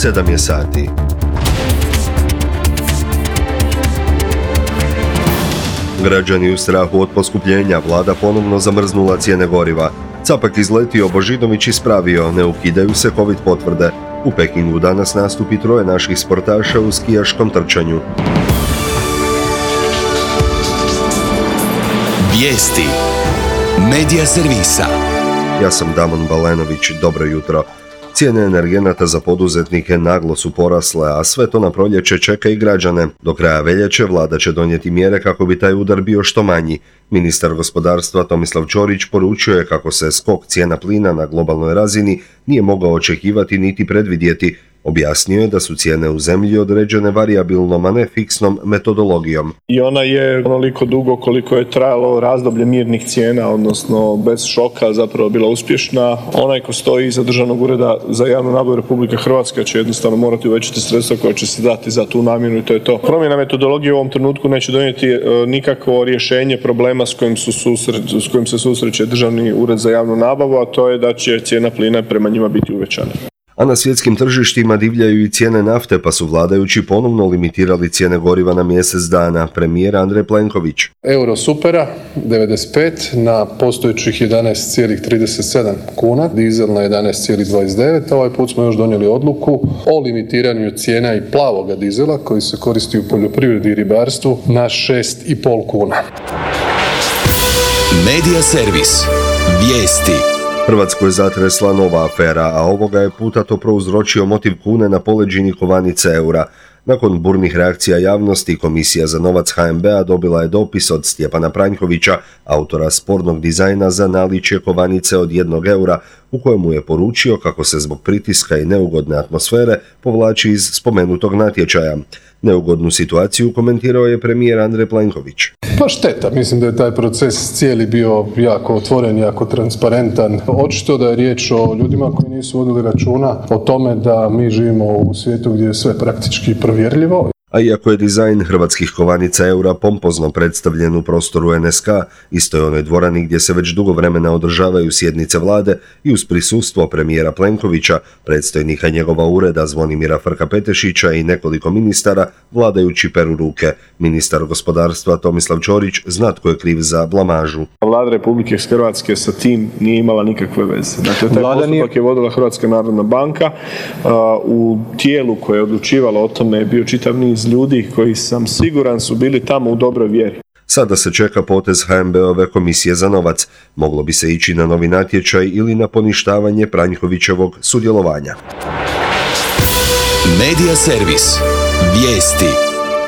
7 je sati. Građani u strahu od poskupljenja, vlada ponovno zamrznula cijene goriva. Capak izletio, Božinović ispravio, ne ukidaju se COVID potvrde. U Pekingu danas nastupi 3 naših sportaša u skijaškom trčanju. Vijesti Medija servisa. Ja sam Damon Balenović, dobro jutro. Cijene energenata za poduzetnike naglo su porasle, a sve to na proljeće čeka i građane. Do kraja veljače vlada će donijeti mjere kako bi taj udar bio što manji. Ministar gospodarstva Tomislav Ćorić poručio je kako se skok cijena plina na globalnoj razini nije mogao očekivati niti predvidjeti. Objasnio je da su cijene u zemlji određene varijabilnom, a ne fiksnom metodologijom. I ona je onoliko dugo koliko je trajalo razdoblje mirnih cijena, odnosno bez šoka, zapravo bila uspješna. Onaj ko stoji iza Državnog ureda za javnu nabavu Republike Hrvatske će jednostavno morati uvećati sredstva koja će se dati za tu namjenu i to je to. Promjena metodologije u ovom trenutku neće donijeti nikakvo rješenje problema s kojim se susreće Državni ured za javnu nabavu, a to je da će cijena plina prema njima biti uvećana. A na svjetskim tržištima divljaju i cijene nafte, pa su vladajući ponovno limitirali cijene goriva na mjesec dana. Premijer Andrej Plenković. Euro supera 95 na postojećih 11,37 kuna, dizel na 11,29. Ovaj put smo još donijeli odluku o limitiranju cijena i plavoga dizela koji se koristi u poljoprivredi i ribarstvu na 6,5 kuna. Medija servis. Vijesti. Hrvatsku je zatresla nova afera, a ovoga je puta to prouzročio motiv kune na poleđini kovanice eura. Nakon burnih reakcija javnosti, Komisija za novac HNB-a dobila je dopis od Stjepana Pranjkovića, autora spornog dizajna za naličje kovanice od 1 eura, u kojemu je poručio kako se zbog pritiska i neugodne atmosfere povlači iz spomenutog natječaja. Neugodnu situaciju komentirao je premijer Andrej Plenković. Pa šteta, mislim da je taj proces cijeli bio jako otvoren, jako transparentan. Očito da je riječ o ljudima koji nisu vodili računa o tome da mi živimo u svijetu gdje je sve praktički provjerljivo. A iako je dizajn hrvatskih kovanica eura pompozno predstavljen u prostoru NSK, istoj onoj dvorani gdje se već dugo vremena održavaju sjednice vlade i uz prisustvo premijera Plenkovića, predstojnika njegova ureda Zvonimira Frka-Petešića i nekoliko ministara, vladajući peru ruke. Ministar gospodarstva Tomislav Ćorić zna tko je kriv za blamažu. Vlada Republike Hrvatske sa tim nije imala nikakve veze. Dakle, taj postupak je vodila Hrvatska narodna banka. U tijelu koje je odlučivalo o tome je bio čitav niz ljudi koji sam siguran su bili tamo u dobroj vjeri. Sada se čeka potez HNB-ove Komisije za novac. Moglo bi se ići na novi natječaj ili na poništavanje Pranjkovićevog sudjelovanja. Medija servis. Vijesti.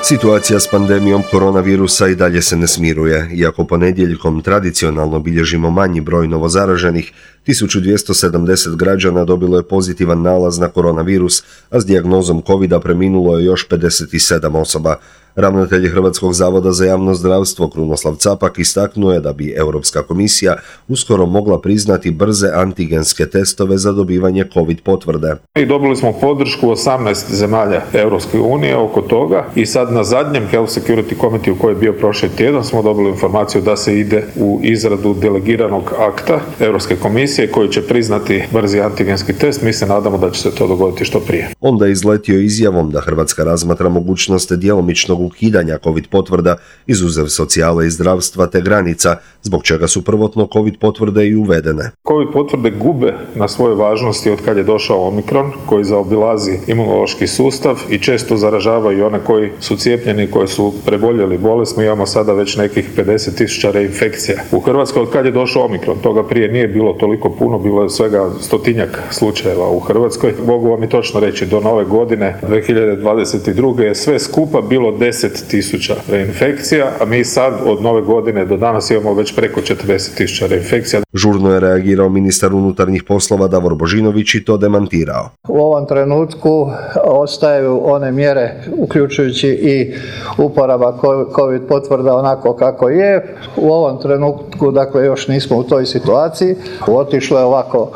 Situacija s pandemijom koronavirusa i dalje se ne smiruje. Iako ponedjeljkom tradicionalno bilježimo manji broj novozaraženih, 1270 građana dobilo je pozitivan nalaz na koronavirus, a s dijagnozom COVID-a preminulo je još 57 osoba. Ravnatelj Hrvatskog zavoda za javno zdravstvo Krunoslav Capak istaknuo je da bi Europska komisija uskoro mogla priznati brze antigenske testove za dobivanje COVID potvrde. I dobili smo podršku 18 zemalja Europske unije oko toga i sad na zadnjem Health Security Committee koji je bio prošli tjedan smo dobili informaciju da se ide u izradu delegiranog akta Europske komisije koji će priznati brzi antigenski test. Mi se nadamo da će se to dogoditi što prije. Onda je izletio izjavom da Hrvatska razmatra mogućnost djelomičnog ukidanja COVID potvrda, izuzev socijale i zdravstva te granica, zbog čega su prvotno COVID potvrde i uvedene. COVID potvrde gube na svojoj važnosti od kad je došao Omikron, koji zaobilazi imunološki sustav i često zaražavaju one koji su cijepljeni, koji su preboljeli bolest. Mi imamo sada već nekih 50.000 reinfekcija. U Hrvatskoj od kad je došao Omikron, toga prije nije bilo toliko puno, bilo je svega 100-tinjak slučajeva u Hrvatskoj. Mogu vam i točno reći, do nove godine 2022. je sve skupa bilo 10.000 reinfekcija, a mi sad od nove godine do danas imamo već preko 40.000 reinfekcija. Žurno je reagirao ministar unutarnjih poslova Davor Božinović i to demantirao. U ovom trenutku ostaju one mjere, uključujući i uporaba COVID potvrda onako kako je. U ovom trenutku, dakle, još nismo u toj situaciji. Otišlo je ovako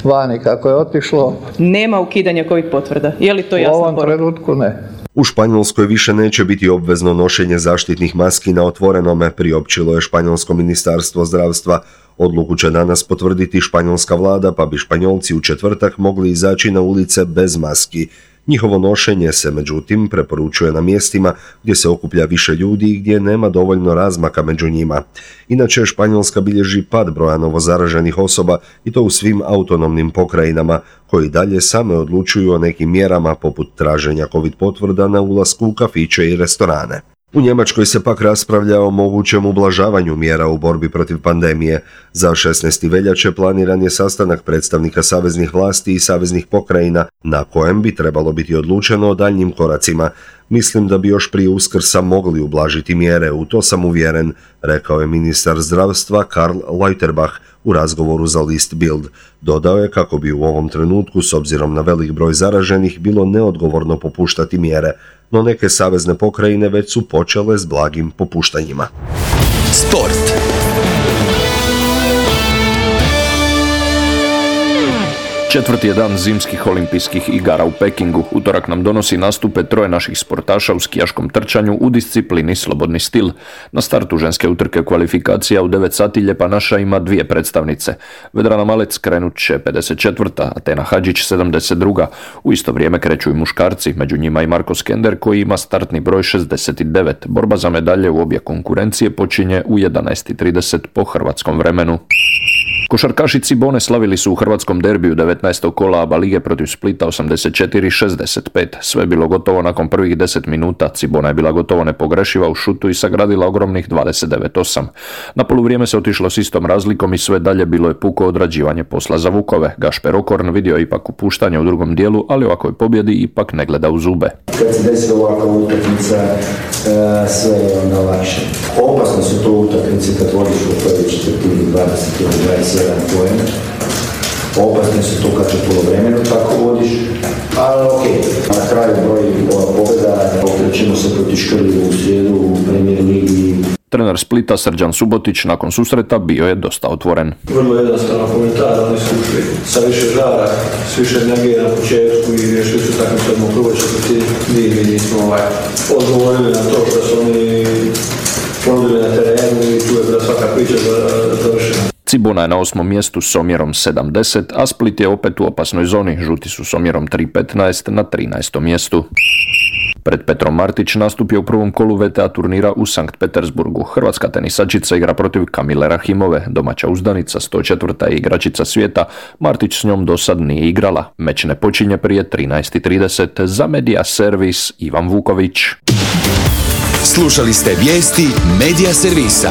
vani kako je otišlo. Nema ukidanja COVID potvrda. Je li to jasno? U ovom trenutku ne. U Španjolskoj više neće biti obvezno nošenje zaštitnih maski na otvorenome, priopćilo je Španjolsko ministarstvo zdravstva. Odluku će danas potvrditi španjolska vlada, pa bi Španjolci u četvrtak mogli izaći na ulice bez maski. Njihovo nošenje se međutim preporučuje na mjestima gdje se okuplja više ljudi i gdje nema dovoljno razmaka među njima. Inače, Španjolska bilježi pad broja novozaraženih osoba i to u svim autonomnim pokrajinama, koji dalje same odlučuju o nekim mjerama poput traženja COVID potvrda na ulasku u kafiće i restorane. U Njemačkoj se pak raspravlja o mogućem ublažavanju mjera u borbi protiv pandemije. Za 16. veljače planiran je sastanak predstavnika saveznih vlasti i saveznih pokrajina, na kojem bi trebalo biti odlučeno o daljnjim koracima. Mislim da bi još prije Uskrsa mogli ublažiti mjere, u to sam uvjeren, rekao je ministar zdravstva Karl Lauterbach u razgovoru za list Bild. Dodao je kako bi u ovom trenutku, s obzirom na velik broj zaraženih, bilo neodgovorno popuštati mjere, no neke savezne pokrajine već su počele s blagim popuštanjima. Sport. Četvrti je dan zimskih olimpijskih igara u Pekingu. Utorak nam donosi nastupe troje naših sportaša u skijaškom trčanju u disciplini slobodni stil. Na startu ženske utrke kvalifikacija u 9 sati Lijepa naša ima dvije predstavnice. Vedrana Malec krenut će 54. Atena Hadžić 72. U isto vrijeme kreću i muškarci, među njima i Marko Skender koji ima startni broj 69. Borba za medalje u obje konkurencije počinje u 11:30 po hrvatskom vremenu. Košarkaši Cibone slavili su u hrvatskom derbiju 19. kola ABA lige protiv Splita 84-65. Sve je bilo gotovo nakon prvih 10 minuta. Cibona je bila gotovo nepogrešiva u šutu i sagradila ogromnih 29-8. Na poluvrijeme se otišlo s istom razlikom i sve dalje bilo je puko odrađivanje posla za Vukove. Gašper Okorn vidio je ipak upuštanje u drugom dijelu, ali ovakvoj pobjedi ipak ne gleda u zube. Kad se desi ovakva utakmica, sve je onda lakše. Opasno su to utakmice kad vodiš u prvoj četvrtini 20 ili 27 poena. Opasne su to kad u polovremenu tako vodiš, ali okej. Na kraju broj pobjeda, okrećemo se proti Škrlju u srijedu u Premier ligi. Trener Splita Srđan Subotić nakon susreta bio je dosta otvoren. Vrlo jednostavno komentar, oni su ušli sa više žara, s više energije na početku i riješili su tako što u prvoj četvrtini mi nismo odgovorili na to što su oni ponudili na terenu i tu je bila svaka priča završena. Cibona je na 8. mjestu s omjerom 70, a Split je opet u opasnoj zoni. Žuti su s omjerom 3:15 na 13. mjestu. Pred Petrom Martić nastupio u prvom kolu VTA turnira u Sankt Petersburgu. Hrvatska tenisačica igra protiv Kamile Rahimove, domaća uzdanica, 104. igračica svijeta. Martić s njom do sad nije igrala. Meč ne počinje prije 13:30. Za Media Servis Ivan Vuković. Slušali ste vijesti Media Servisa.